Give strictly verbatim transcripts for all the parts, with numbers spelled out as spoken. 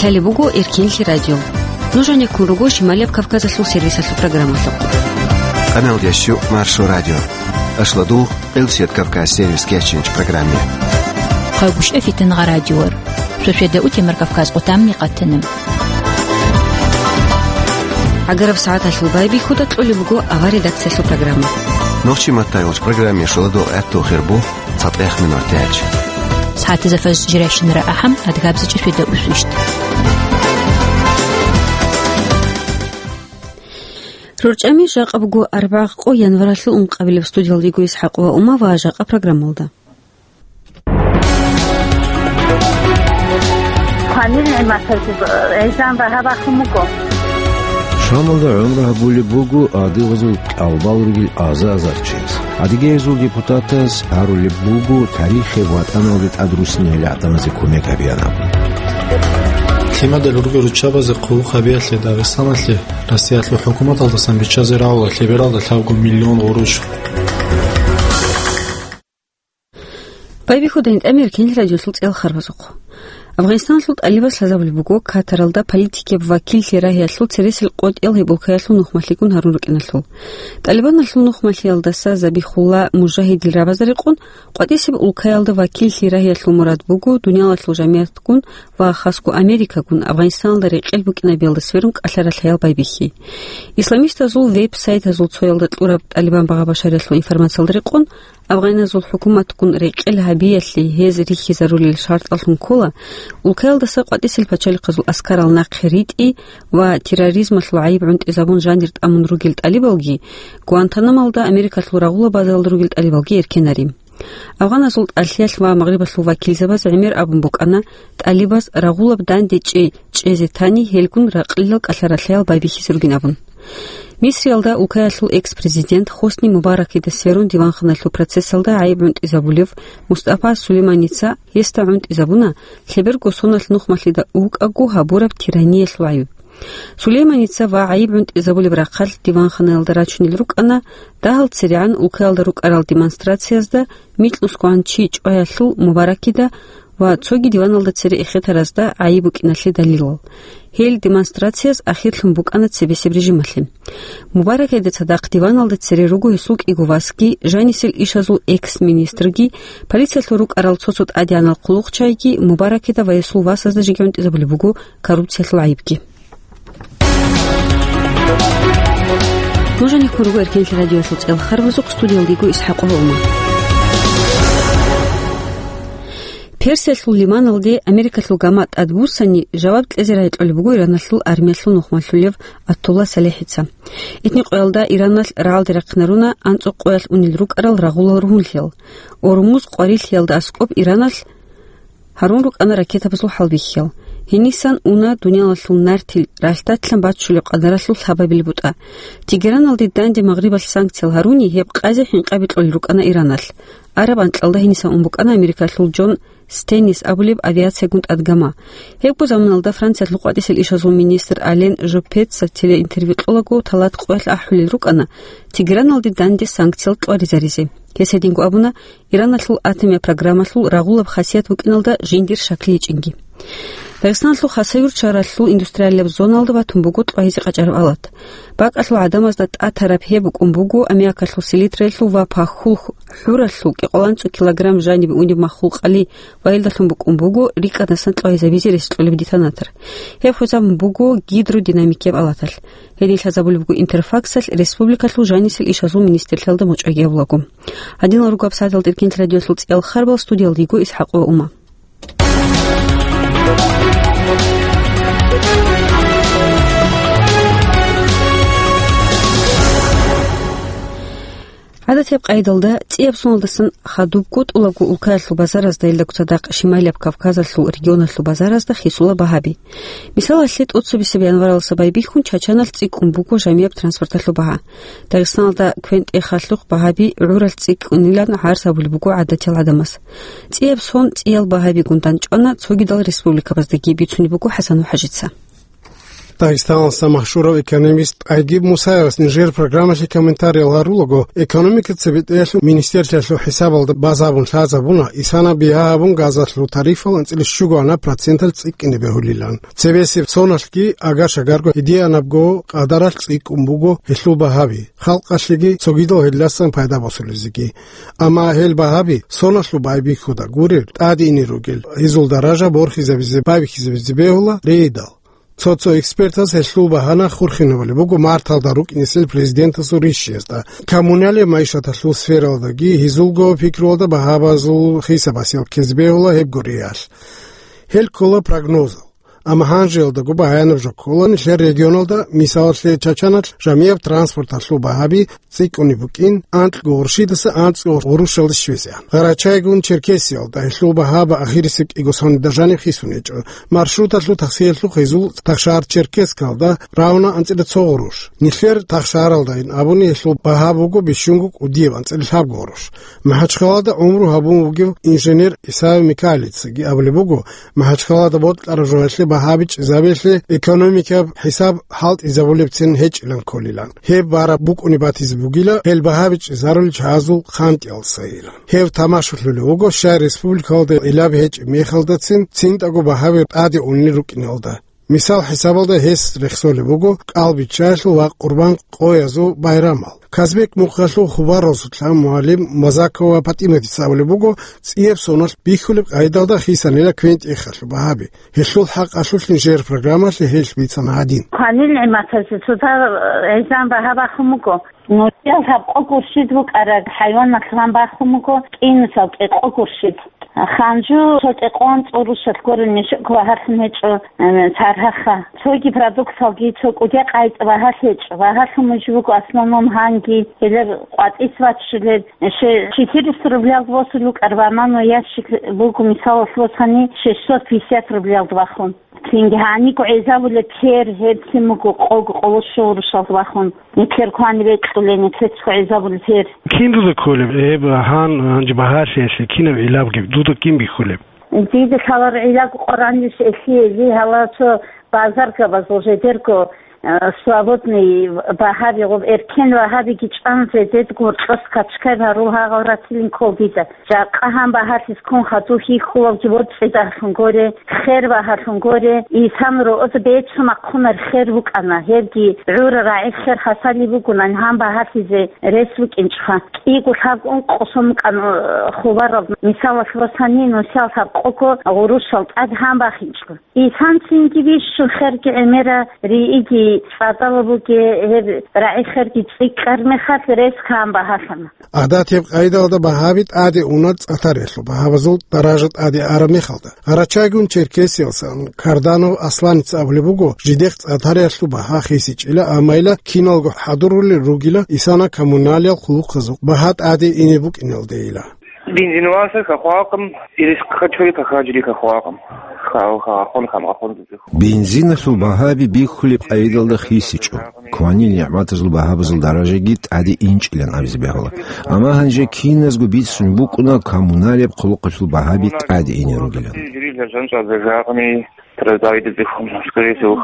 Лъалеб буго Эркенлъи радио. Нуж гьанеккун руго Шималияб Кавказалъул сервисалъул программалъухъ. Канал дящу Маршо радио. Ашладул Къилсият Кавказ сервис кечинч программе. Хъагушев Фитангъа радиор. Шошеда утемар Кавказ къутамни къатана. Агараб сагӀаталъул байбихьуда кьолеб буго авар редакциялъул программа. Нохчи маттайолч программе шуладул гӀатту хирбу. ЦатӀех минутач. СагӀатизафаз жирайщинара ахӀам адгабзичӀеб шуйда усвищт. РорчӀами жакъа буго арбагъ къо январалъул ункъабилеб. Студиялдего Исхакъова Ума ва жакъа программалда. Фамилия Матазиб гӀезан багьа бахун буго. Шамалда гӀумру гьабулеб буго адыгъазул кӀалбал ругел аза-азар чияс. Адыгейзул депутатаз гьарулеб буго тарихи ватӀаналде тӀад руссинал гӀадамазе кумек гьабеян абун. Лъимадал ругел руччабазе хъулухъ гьабиялъе Дагъистаналъе Россиялъул хӀукуматалдасан биччазе рагӀула лъебералда лъабго миллион гъурущ. Байбихьуда гьитӀами Эркенлъи радиолъул цӀел харбазухъ. Афганистаналъул тӀалибаз лъазабулеб буго Катаралда политикияб вакиллъи рагьиялъул цересел къотӀиял гьеб улкаялъул нухмалъигун гьарун рукӀиналъул. ТӀалибаналъул нухмалъиялдаса Забихулла Мужагьидил рабазда рекъон, къватӀисеб улкаялда вакиллъи рагьиялъул мурад буго дуниялалъул жамигӀатгун ва хасго Америкагун Афганистаналда рекъел букӀинабиялда сверун кӀалъа-ралъаял байбихьи. Исламистазул веб-сайтазул цоялда кьураб ТӀалибан багъа-башариялъул информациялда рекъон, афганазул хӀукуматгун рекъел гьабиялъе гьез рихьизарулел шартӀалъун ккола, улкаялдаса къватӀисел пачалихъазул аскарал нахъе ритӀи ва терроризмалъул гӀайиб гӀунтӀизабун жанир тӀамун ругел тӀалибалги, Гуантанамалда Америкалъул рагъулаб базаялда ругел тӀалибалги эркенари. Афганазул тӀалъиялъ ва Магърибалъул вакилзабаз гӀемер абун букӀана, тӀалибаз рагъулаб данде чӀей чӀезе тани, гьелгун ракълилал кӀалъа-ралъаял байбихьизе ругин абун. Мисриялда улкаялъул экс-президент Хосни Мубаракида сверун диванханалъул процессалда гӀайиб гӀунтӀизабулев Мустафа Сулейманица гьесда гӀунтӀизабуна лъеберго соналъ нухмалъида вукӀаго гьабураб тираниялъул гӀайиб. Сулейманица ва гӀайиб гӀунтӀизабулеб рахъалъ диванханаялда рачунел рукӀана дагьал церегӀан улкаялда рукӀарал демонстрациязда микьнусгоан чи чӀваялъул Мубаракида ва цоги диваналда цере эхетаразда гӀайиб букӀиналъе далилал. Гьел демонстрацияз ахирлъун букӀана цебесеб режималъе. Мубаракида цадахъ диваналда цере руго гьесул кӀиго васги, жанисел ишазул экс-министрги, полициялъул рукӀарал цо-цо тӀадегӀанал хъулухъчагӀиги. Мубаракида ва гьесул васазда жеги гӀунтӀизабулеб буго коррупциялъул гӀайибги. Нуж гьанеккун руго Эркенлъи радиоялъул цӀел харбазухъ, студиялдего Исхакъова Ума. Персиялъул лиманалде Америкалъул гама тӀадбуссани, жаваб кьезе рагӀи кьолеб буго Ираналъул армиялъул нухмалъулев Атулла СалихӀица. Итни къоялда Ираналъ рагӀалде рахъинаруна анцӀу къоялъ унел рукӀарал рагъулал ругьунлъиял. Ормуз къварилъиялда аскӀоб Ираналъ гьарун рукӀана ракетабазул хӀалбихьиял. Гьенисан уна дуниялалъул нартил ралъдалъан баччулеб къадаралъул лъабабил бутӀа. Тегераналде данде Магърибалъ санкциял гьаруни, гьеб къазе хӀинкъаби кьолел рукӀана Ираналъ. Араб анкьалда гьенисан ун букӀана Америкалъул Джон Стеннис абулеб авиациягун тӀад гама. Гьебго заманалда Франциялъул къватӀисел ишазул министр Ален Жопеца телеинтервью кьолаго талат къоялъ ахӀулел рукӀана Тегераналде данде санкциял кьваризаризе. Гьес гьединго абуна, Ираналъул атомияб программалъул рагъулаб хасият букӀиналда жиндир шаклъи гьечӀинги. Дагъистаналъул Хасавюрт шагьаралъул индустриалияб зоналда батун буго кьвагьизе къачӀараб алат. БакӀалъул гӀадамазда тӀатараб гьеб букӀун буго аммиакалъул селитраялъул ва пахьул хӀуралъул кӀикъоялда анцӀу килограмм жаниб унеб маххул къали ва гьелдалъун букӀун буго рикӀкӀадасан кьвагьизабизе рес кьолеб детонатор. Гьеб хвезабун буго гидродинамикияб алаталъ. Гьедин лъазабулеб буго Интерфаксалъ республикалъул жанисел ишазул министрлъиялда мочӀаги гьабулаго. Гьадинал руго гьабсагӀаталда Эркенлъи радиоялъул цӀиял харбал, студиялдего Исхакъова Ума. ГӀадатияб къайдалда цӀияб соналдасан хадуб гутӀулаго улкаялъул базаразда, гьелдаго цадахъ Шималияб Кавказалъул регионалъул базаразда хисула багьаби. Мисалалъе, тӀоцебесеб январалдаса байбихьун Чачаналъ цӀикӀкӀун буго жамияб транспорталъул багьа. Дагъистаналда квен-тӀехалъухъ багьаби гӀуралъ цӀикӀкӀунилан гӀарз гьабулеб буго гӀадатиял гӀадамаз. ЦӀияб сон цӀиял багьабигун дандчӀвана цогидал республикабаздаги, бицунеб буго ХӀасан МухӀажица. Дагъистаналдаса машгьурав экономист ТӀайгиб Мусаевас нижер программалъе комментариял гьарулаго, экономикаца бетӀерлъун министерствоялъул хӀисабалда базабун лъазабуна исана бигьа гьабун газалъул тарифал анцӀила щуго гьанаб проценталъ цӀикӀкӀине бегьулилан. Цебесеб соналъги агар-шагарго гьединабго къадаралъ цӀикӀкӀун буго гьелъул багьаби, халкъалъеги цогидал гьелдасан пайда босулезеги. Амма гьел багьаби соналъул байбихьуда гурел, тӀаде ине ругел, гьезул даража борхизабизе, байбихьизабизе бегьула рейдал. Цо-цо экспертаз гьелъул багьана хурхинабулеб буго марталда рукӀинесел президентасул ришиязда. Коммуналияб майишаталъул сфералдаги гьезулго пикруялда багьабазул хисабасел ккезе бегьула гьеб гуриялъ. Гьел ккола прогнозал. Амма гьанжеялдаго баянаб жо ккола нилъер регионалда, мисалалъе, Чачаналъ жамияб транспорталъул багьаби цӀикӀкӀунеб букӀин, анкьго гъурущидаса анцӀго гъурущалде щвезегӀан. Гъарачайгун Черкесиялда гьелъул багьаба ахирисеб кӀиго соналда жаниб хисун гьечӀо. Маршруталъул таксиялъухъ гьезул Тахшагьар-Черкескалда равна анцӀила цо гъурущ. Нилъер Тахшагьаралдайин абуни гьелъул багьа буго бищунго кӀудияб анцӀила лъабго гъурущ. МахӀачхъалада гӀумру гьабун вугев инженер Исаев Микаилицаги абулеб буго, МахӀачхъалада бокьараб жоялъе багьаби чӀезабиялъе экономикаб хӀисаб хӀалтӀизабулебцин гьечӀилан кколилан. Гьеб бараб букӀуни батизе бугила, гьел багьаби чӀезарулел чагӀазул хъантӀиялдасайилан. Гьев тамашулъулев вуго, щай республикалда гӀилаби гьечӀеб мехалдацин цинтӀаго багьаби тӀаде унел рукӀиналда. Мисал хӀисабалда гьес рехсолеб буго кӀалбиччаялъул ва Къурбан къоязул байрамал. Казбек мухъалъул хабар росулъа мугӀалим Мазакова ПатӀиматица абулеб буго, цӀияб соналъ бихьулеб къайдалда хисанила квен-тӀехалъул багьаби. Гьелъул хӀакъалъулъ нижер программалъе гьелъ бицана гьадин. Кванил нигӀматазе цоцазда гӀезегӀан багьа бахун буго. Нусиял лъабкъо гурщид букӀараб хӀайваналъ гьан бахун буго, кӀинусал кӀикъо гурщид. Ханжу цо кӀикъоялда цӀорущалъ гурин нешукь багьалъун гьечӀо, э, цархӀаха. Цоги продукталги цо кӀудияб къайда багьалъ гьечӀо. Багьалъун мужи буго основном гьанги, гьелер къватӀис ваччулел, ше-, четыреста рублялда босулеб букӀараб бананов ящик буго, мисалалъ, босани шестьсот пятьдесят рублялда бахун. Цинги гьаниго гӀезабулеб тер, гьеб цин буго къого къоло щуго гъурущалда бахун. Нилъер кваниб бекьулел, нилъецаго гӀезабулел тер. Кин дуда кколеб гьеб гьан, гьанже багьалъиялъе кинаб гӀилабги, дуда кин бихьулеб? Дида лъаларо гӀилаб Къуръаналъ эхиялъе, гьала цо базаргабазул жидерго, э, свободный багьаби, гъоб эркен багьабиги чӀван, жидерго гьоркьоса качкай гьарул гьагъал ратилин ккол дида. Жакъа гьан багьалъизе ккун хадув хьихьулавги боцӀцӀидалъун горе, хер багьалъун горе, исан роъода бецун ахъунар хер букӀана, гьебги гӀура рагӀи хер хасали бугунан гьан багьалъизе рес букӀинчӀха. КӀиго лъабго ункъо сом букӀана хабарал, мисалалъ, босани нусиял лъабкъого гъурущал тӀад гьан бахинчӀо. Исан цинги бищун херги гӀемера рииги цӀадала буге, гьеб рагӀи херги цӀикӀкӀар мехалъ рес гьан багьалъана. Гьадатияб къайдалда багьаби тӀаде уна цӀатариялъул багьабазул даража тӀаде араб мехалда. Гъарачайгун Черкесиялдасан Карданов Асланица абулеб буго, жидехъ цӀатариялъул багьа хисичӀила, аммайила киналго хӀадурулел ругила исана коммуналияб хъулухъазул багьа тӀаде ине букӀиналдейила. Бензин васа хахвакъым, ирис хачури хахаджри хахвакъым. Хал хахун хам хахун. Бензиналъул багьаби бихьулеб къайдалда хисичӀо. Кванил нигӀматазул багьабазул даражаги тӀаде инчӀилан абизе бегьула. Амма гьанже киназго бицун букӀуна коммуналияб хъулухъалъул багьаби тӀаде ине ругилан. Жири лажан чӀвазе жагъни, традайда зихун, скорее всего,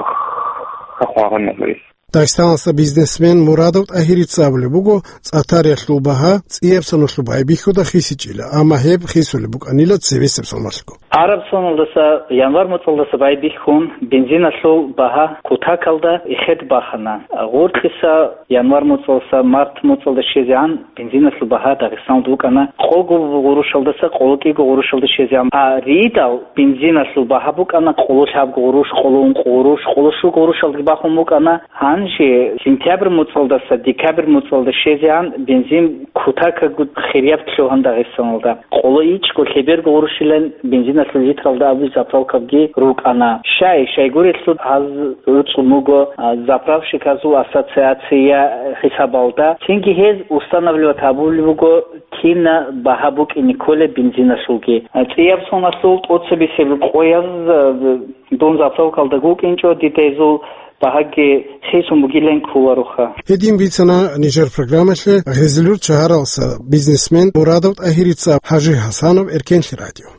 хахвагъан нагъри. Дагъистаналдаса бизнесмен Мурадов ТӀагьирица абулеб буго, цӀатариялъул багьа цӀияб соналъул байбихьуда хисичӀила, амма гьеб хисулеб букӀанила цебесеб соналъго. Араб соналдаса, январь моцӀалдаса байбихьун, бензиналъул багьа кутакалда эхед бахана. Гъоркьиса январь моцӀалдаса март моцӀалда щвезегӀан бензиналъул багьа Дагъистаналда букӀана къого гъурущалдаса къоло кӀиго гъурущалда щвезегӀан. А ридал бензиналъул багьа букӀана къоло лъабго гъурущ, къоло ункъо гъурущ, къоло щуго гъурущалдаги бахун букӀана. Гьанже сентябрь моцӀалдаса декабрь моцӀалда щвезегӀан бензин кутакаго хирияб лъугьана Дагъистаналда. Къоло ичӀго лъеберго гъурущилан бензиналъул литралда абу заправкабги рукӀана. Щай, щайгурелъул гьаз гӀуцӀун буго, а, заправщиказул ассоциация хӀисабалда. Цинги гьез устанавливать гьабулеб буго, кина багьа букӀине кколеб бензиналъулги. А, цӀияб соналъул тӀоцебесеб къояз, а, дун заправкалда гукӀинчӀо, дида гьезул багьаги хисун бугилан кколароха. Гьедин бицана нижер программалъе Гъезилюрт шагьаралдаса бизнесмен Мурадов ТӀагьирица, ХӀажи ХӀасанов, Эркенлъи радио.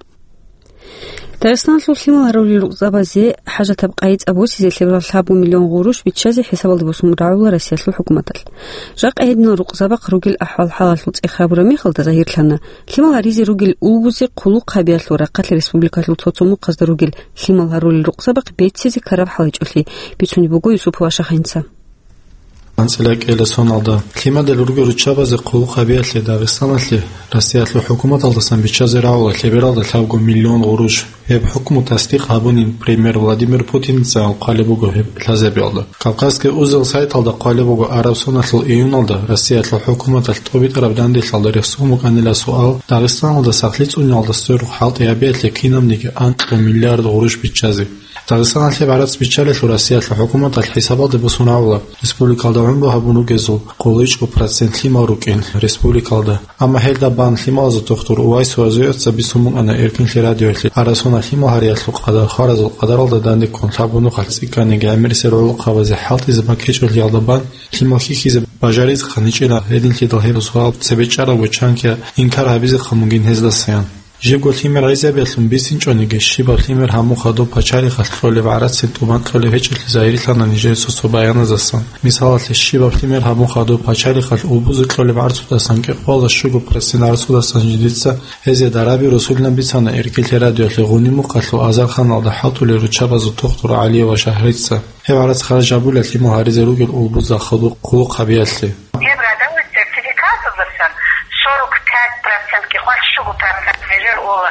Дагъистаналъул лъимал гьарулел рукъзабазе хӀажатаб къайи-цӀа босизе лъеберал лъабго миллион гъурущ биччазе хӀисабалде босун рагӀула Россиялъул хӀукуматалъ. Жакъа гьединал рукъзабахъ ругел ахӀвал-хӀалалъул цӀех гьабураб мехалда загьирлъана, лъимал гьаризе ругел улбузе хъулухъ гьабиялъул рахъалъ республикалъул цо-цо мухъазда ругел лъимал гьарулел рукъзабахъ беццизе ккараб хӀал гьечӀолъи, бицунеб буго Юсупов Ашахинца. АнцӀила кӀела соналда лъимадал ругел руччабазе хъулухъ гьабиялъе Дагъистаналъе Россиялъул хӀукуматалдасан биччазе рагӀула лъебералда лъабго миллион гъурущ. Гьеб хӀукму тасдикъ гьабунин премьер Владимир Путинца хъвалеб буго гьеб лъазабиялда. Кавказский узел сайталда хъвалеб буго, араб соналъул июналда Россиялъул хӀукуматалъ тӀубитӀараб данделъалда рехсон букӀанила суал, Дагъистаналда сахлъи цӀуниялда сверухъ хӀалтӀи гьабиялъе кинабниги анкьа миллиард гъурущ биччазе. Дагъистаналъ гьеб гӀарац биччалелъул Россиялъул хӀукуматалъ хӀисабалде босун рагӀула, республикалда гӀумру гьабун ругезул къоло ичӀго процент лъимал рукӀин республикалда. Амма гьелда бан лъималазул тухтур Увайс Вазуевица бицун букӀана Эркинлъи радиоялъе, араб соналъ лъимал гьариялъул къадар хваразул къадаралда данде ккун лъабго нухалъ цӀикӀкӀаниги гӀемерисел гӀолохъабазе хӀалтӀизаб баккечӀолъиялда бан лъимал хьихьизе бажаризехъан гьечӀила. Гьединлъидал гьеб суал цебе чӀарабго чанги инкар гьабизехъан бугин гьездасаян. Жибго лъимер гӀезабиялъун бицинчӀониги, щибаб лъимер гьабун хадуб пачалихъалъ кьолеб гӀарацин тӀубан кьолеб гьечӀолъи загьирлъана нижер цо-цо баяназасан. Мисалалъе, щибаб лъимер гьабун хадуб пачалихъалъ улбузе кьолеб гӀарцудасан кӀикъоялда щуго процент гӀарцудасан жидеца гьезие дараби росулилан бицана Эркинлъи радиоялъе Гъуни мухъалъул азарханалда хӀалтӀулел руччабазул тухтур ГӀалиева Шагьрица. Гьеб гӀарац харж гьабула лъимал гьаризе ругел улбузда хадуб хъулухъ гьабиялъе. Гьеб радализ сертификаталдасан сорок пять процент, кӀикъоялда щуго процент нижер ола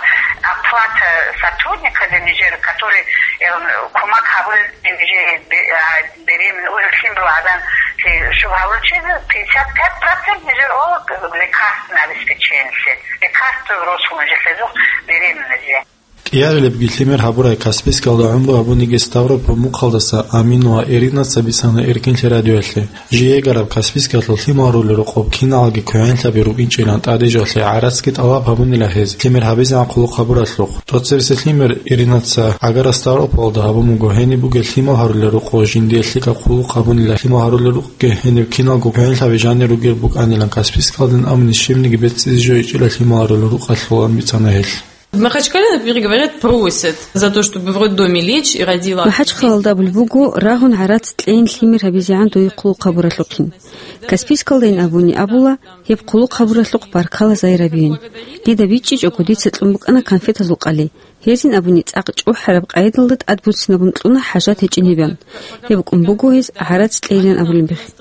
оплата сотрудниказе нижер, который, э, кумак гьабулел нижер бе-, а, беременный, уже лъимал гьабун, э, щуго гьабулчизе пятьдесят пять процент нижер ола лекарственное обеспечение, лекарство росу нижер лъезухъ беременныйзе. КӀиабилебги лъимер гьабурай Каспийскалда гӀумру гьабуниги Ставрополь мухъалдаса Амин ва Иринаца бицана Эркинлъи радиоялъе. Жиегараб Каспийскалъул лъимал гьарулел рукъоб киналги квегӀенлъаби рукӀинчӀилан тӀадежалъе гӀарацги тӀалаб гьабунила гьез лъимер гьабизегӀан хъулухъ гьабуралъухъ. ТӀоцебесеб лъимер Иринаца агара Ставропольда гьабун буго, гьениб бугел лъимал гьарулел рукъо жиндие лъикӀаб хъулухъ гьабунила, лъимал гьарулел рукъги гьениб киналго квегӀенлъаби жанир ругел букӀанилан Каспийскалдин, амни щибниги беццизе жо гьечӀила лъимал гьарулел рукъалъулан бицана гьелъ. В Махачкале, например, говорят, просят за то, чтобы в роддоме лечь и родила. МахӀачхъалалда абулеб буго, рагьун гӀарац кьейин лъимер гьабизегӀан дуе хъулухъ гьабуралъухъин. Каспийскалдайин абуни абула, гьеб хъулухъ гьабуралъухъ баркала, загьир абейин. Дида бичӀчӀичӀого, дица кьун букӀана конфетазул къали. Гьезин абуни цӀакъ чӀухӀараб къайдалда тӀадбуцинабун кьуна хӀажат гьечӀин гьебан. Гьеб кӀун буго гьез гӀарац кьейилан абулеб мехалъ.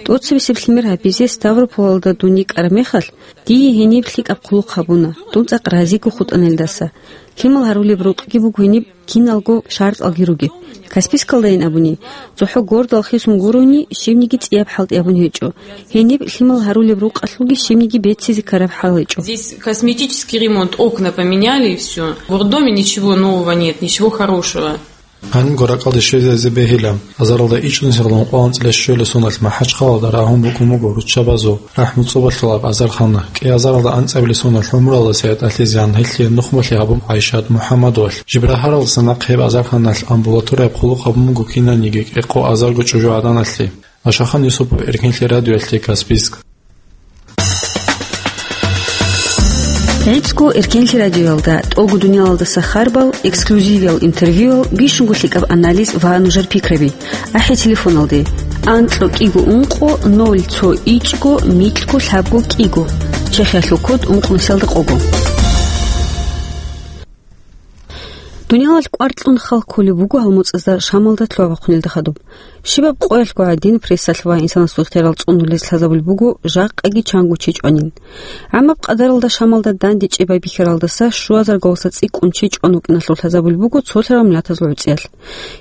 ТӀоцебесеб лъимер гьабизе Ставрополалда дун йикӀараб мехалъ, дие гьениб лъикӀаб хъулухъ гьабуна, дун цӀакъ разиго хутӀана гьелдаса. Лъимал гьарулеб рукъги буго гьениб киналго шартӀалги ругеб. Каспийскалдайин абуни, цохӀо гордал хисун гурони, щибниги цӀияб хӀалтӀи абун гьечӀо. Гьениб лъимал гьарулеб рукъалъулги щибниги беццизе ккараб хӀал гьечӀо. Здесь косметический ремонт, окна поменяли и всё. В роддоме ничего нового нет, ничего хорошего. Гьанибго ракӀалде щвезаризе бегьила. Азаралда ичӀнусиялда ункъоялда анцӀила щуялда соналъ МахӀачхъалалда рагьун букӀун буго руччабазул рахӀму цӀобалъулаб азархана. КӀиазаралда анцӀабилеб соналъ гӀумруялда СигӀат Ализе, гьелъие нухмалъи гьабун ГӀайшат МухӀаммадовалъ. Жибрагьаралдаса нахъ гьеб азарханалъ амбулаторияб хъулухъ гьабун буго кинаниги кӀикъо азарго чӀужугӀаданалъе. Ашахан Юсупов, Эркинлъи радиоялъе, Каспийск. ГӀицӀго Эркенлъи радиоялда тӀолго дуниялалдаса харбал, эксклюзивиял интервьюял, бищунго лъикӀаб анализ ва нужер пикраби. АхӀи телефоналде: анкьго кӀиго ункъо ноль цо ичӀго микьго лъабго кӀиго, Чехиялъул код ункънусиялда къого. Дуниялалъ кӀвар кьун хал кколеб буго гьалмуцӀазда Шамалда лъугьа-бахъунелда хадуб. Щибаб къоялъго гӀадин, прессалъ ва инсанасул ихтиярал цӀунулез лъазабулеб буго жакъаги чанго чи чӀванин. ГӀамаб къадаралда Шамалда дандечӀеб байбихьаралдаса щуазар гвалса цӀикӀкӀун чи чӀван вукӀиналъул лъазабулеб буго цолъарал миллатазул гӀуцӀиялъ.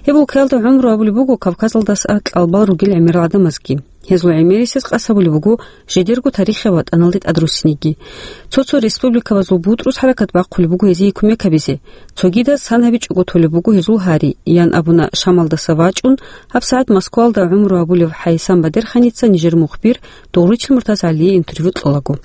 Гьеб улкаялда гӀумру гьабулеб буго Кавказалдаса кьалбал ругел гӀемерал гӀадамазги. Гьезул гӀемерисез къасабулеб буго жидерго тарихи ватӀаналде тӀадруссинеги. Цо-цо республикабазул бутӀрус хӀаракат бахъулеб буго гьезие кумек гьабизе. Цогидаз сан гьабичӀого толеб буго гьезул гьари, ян абуна Шамалдаса вачӀун, гьабсагӀат Москваялда гӀумру гьабулев ХӀайсам Бадерханица нижер мухбир Дугъручил МуртазгӀалие интервью кьолаго.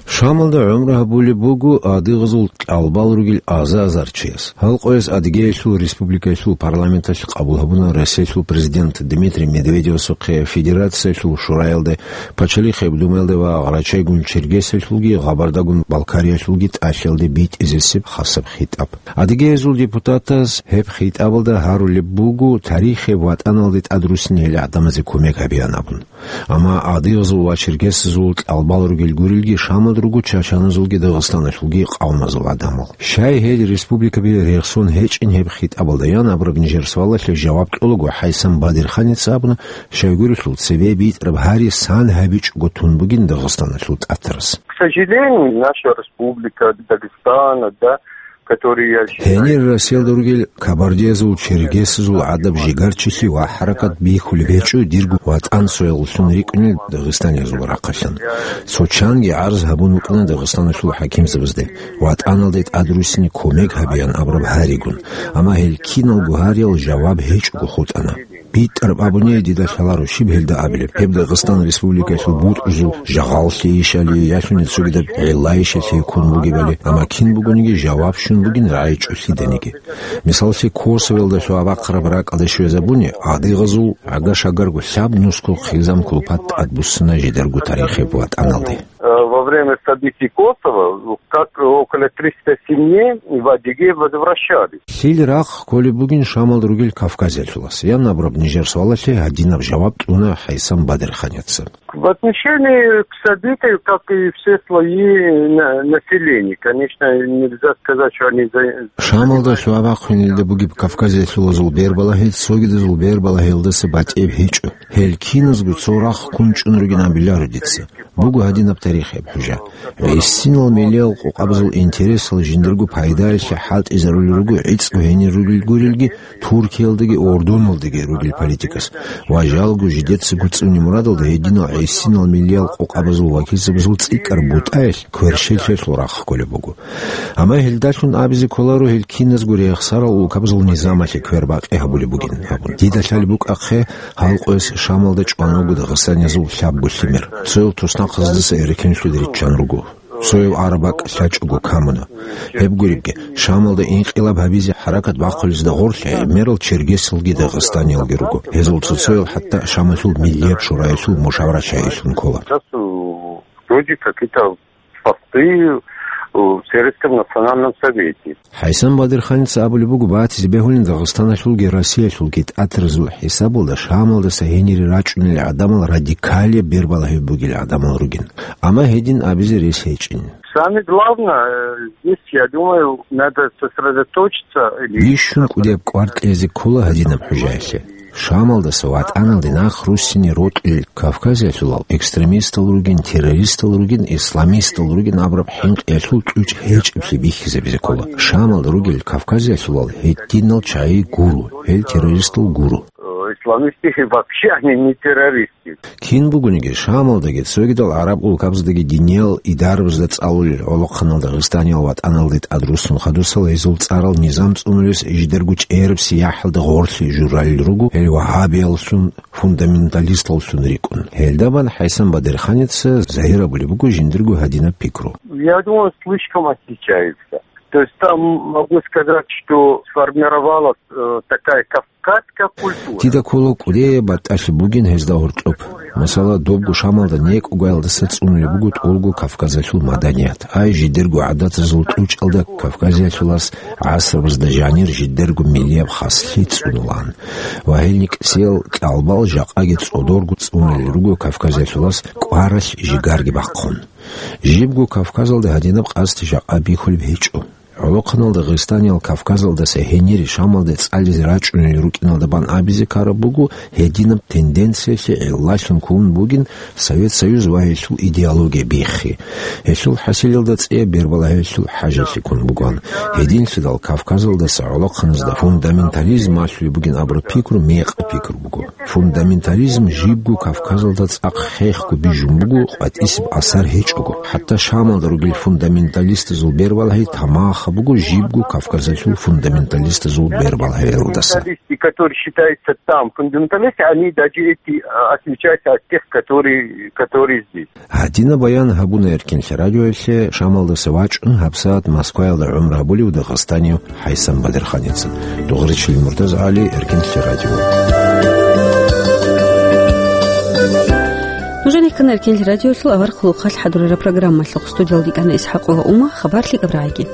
Шамалда гӀумру гьабулеб буго адыгъазул кьалбал ругел аза-азар чияс. Гьал къояс Адыгеялъул республикаялъул парламенталъ къабул гьабуна Россиялъул президент Дмитрий Медведевасухъе Федерациялъул шураялде, Пачалихъ гьеб Думаялде ва гъарачайгун Чергесиялъулги Гъабардагун Балкариялъулги тӀалъиялде битӀизесеб хасаб хитӀаб. Адыгеязул депутатаз гьеб хитӀабалда гьарулеб буго тарихияб ватӀаналде тӀадруссинел гӀадамазе кумек гьабеян абун. Амма адыгъазул ва чергесазул кьалбал ругел гурелги Шамал руго чачаназулги Дагъистаналъулги къавмазул гӀадамал. Щай гьел республикаби рехсон гьечӀин гьеб хитӀабалда ян абураб нижер суалалъе жаваб кьолаго, ХӀайсан Бадирханица абуна, щайгурелъул цебе битӀараб гьари сан гьабичӀого тун бугин Дагъистаналъул тӀатарас. К сожалению, наша республика Дагестана, да, которые я считаю... Гьенир Россиялда ругел кабардиязул, чергесазул гӀадаб жигарчилъи ва хӀаракат бихьулеб гьечӀо дирго ватӀан соялдалъун рикӀкӀунел дагъистаниязул рахъалъан. Цо чанги гӀарз гьабун вукӀана Дагъистаналъул хӀакимзабазде, ватӀаналде тӀадруссине кумек гьабеян абураб гьаригун, амма гьел киналго гьариял жаваб гьечӀого хутӀана. БитӀараб абуни дида лъаларо щиб гьелда абилеб, гьеб Дагъистан Республикалъул бутӀрузул жагъаллъи ишали, ялъуни цогидаб гӀелла ишалъи ккун бугебали, амма кин бугониги жаваб щун бугин рагӀичӀо лъиданиги. Мисаллъи, Косовелда лъугьа-бахъараб ракӀалде щвезабуни, адыгъазул гӀага-шагарго лъаб нусго хъизан-кулпат тӀадбуссана жидарго тарихияб ватӀаналде. Э, во время событий Косово, как около триста семей в Адыгею возвращались. Лъил рахъ кколеб бугин Шамалда ругел Кавказиялъулас? Ян абураб нижер суалалъе гьадинаб жаваб кьуна ХӀайсан Бадирханица. В отношении к событию, как и все слои на-, населения, конечно, нельзя сказать, что они за-, Шамалда лъугьа-бахъинелда бугеб кавказиялъулазул бербалагьи цогидазул бербалагьиялдаса батӀияб гьечӀо. Гьел киназго цо рахъ ккун чӀун ругин абиларо дица. Буго гьадинаб тарихияб хӀужа. ГӀисинал милиял къокъабазул интересал жиндарго пайдаялъе хӀалтӀизарулел руго гӀицӀго гьенир ругел гурелги, Туркиялдаги Ордуналдаги ругел политикас ва жалго жидецаго цӀуне мурадалда гьединал гӀисинал милиял къокъабазул вакилзабазул цӀикӀкӀар бутӀаялъ кверщелъиялъул рахъ кколеб буго. Амма гьелдалъун абизе кколаро гьел киназго рехсарал улкабазул низамалъе квербакъи гьабулеб бугин абун. Дида лъалеб букӀахъе, гьал къояс Шамалда чӀван руго дагъистаниязул лъабго лъимер. Цоял туснахъаздаса эрекенлъуде риччан руго. Цояв араб бакӀ лъачӀого камуна. Гьеб гуребги, Шамалда инкъилаб гьабизе хӀаракат бахъулезда гъорлъ гӀемерал чергесалги дагъистаниялги руго. Гьезул цо-цоял хӀатта Шамалъул Миллияб шураялъул мушаварачагӀилъун ккола. Сейчас, э, вроде какие-то посты, э, в Сирийском национальном совете. ХӀайсан Бадирханица абулеб буго, батизе бегьулин Дагъистаналъулги Россиялъулги тӀатаразул хӀисабалда Шамалдаса гьенире рачӀунел гӀадамал радикалияб бербалагьи бугел гӀадамал ругин. Амма гьедин абизе рес гьечӀин. Самое главное, э, здесь, я думаю, надо сосредоточиться или... Бищун кӀудияб кӀвар кьезе ккола гьадинаб хӀужаялъе. Шамалдаса ватӀаналде нахъ руссине рокьулел кавказиялъулал экстремистал ругин, террористал ругин, исламистал ругин абураб хӀинкъиялъул кьучӀ гьечӀеблъи бихьизабизе ккола. Шамалда ругел кавказиялъулал гьединал чагӀи гуро, гьел террористал гуро. Э, исламисты вообще, они не террористы. Кин бугониги, Шамалдаги цогидал гӀараб улкабаздаги диниял идарабазда цӀалулел гӀолохъанал дагъистаниял ватӀаналде тӀадруссун хадусал гьезул цӀарал низам цӀунулес жидарго чӀераб сияхӀалда гъорлъи журалел руго, гьел вагьабияллъун, фундаменталисталлъун рикӀкӀун. Гьелда бан ХӀайсан Бадирханица загьир абулеб буго жиндирго гьадинаб пикру. Я думаю, слишком отличается. То есть там могу сказать, что сформировалась, э, такая кавказская культура. Дида ккола кӀудияб батӀалъи бугин гьезда гьоркьоб. Масала, добго Шамалда некӀогоялдаса цӀунулеб буго тӀолго Кавказалъул маданият. Ай, жидерго гӀадатазул кьучӀалда Кавказиялъулас гӀасрабазда жанир жидерго миллияб хаслъи цӀунулан. Ва гьел никӀсиял кьалбал жакъаги цӀодорго цӀунулел руго Кавказиялъулас кӀваралъ жигарги бахъун. Жибго Кавказалда гьадинаб къасд жакъа бихьулеб гьечӀо. ГӀолохъанал дагъистаниял Кавказалдаса гьенире Шамалде цӀализе рачӀунел рукӀиналда бан абизе ккараб буго гьединаб тенденциялъе гӀиллалъун ккун бугин Совет Союз ва гьелъул идеология биххи. Гьелъул хӀасилалда цӀияб бербалагьиялъул хӀажалъи ккун бугоан. Гьединлъидал Кавказалдаса гӀолохъаназда фундаментализм малъулеб бугин абураб пикру мекъаб пикру буго. Фундаментализм жибго Кавказалда цӀакъ хехго бижун буго, къватӀисеб асар гьечӀого. ХӀатта Шамалда ругел фундаменталистазул бербалагьи тамах, Гьаб буго жибго Кавказалъул фундаменталистазул бербал гьелдаса. Фундаменталисты, которые считаются там фундаменталисты, они даже эти, а, отличаются от тех, которые, которые здесь. Гьадина баян гьабуна Эркинлъи радиоялъе Шамалдаса вачӀун гьабсагӀат Москваялда гӀумру гьабулев дагъастанив ХӀайсан Бадирханица. Дугъричилин Муртаза ГӀали, Эркинлъи радио. Нужеда ккана Эркинлъи радиоялъул авар хъулухъалъ хӀадурараб программа. Студиялда йикӀана ИсхӀакъова Ума, хабар лъикӀаб рагӀиги.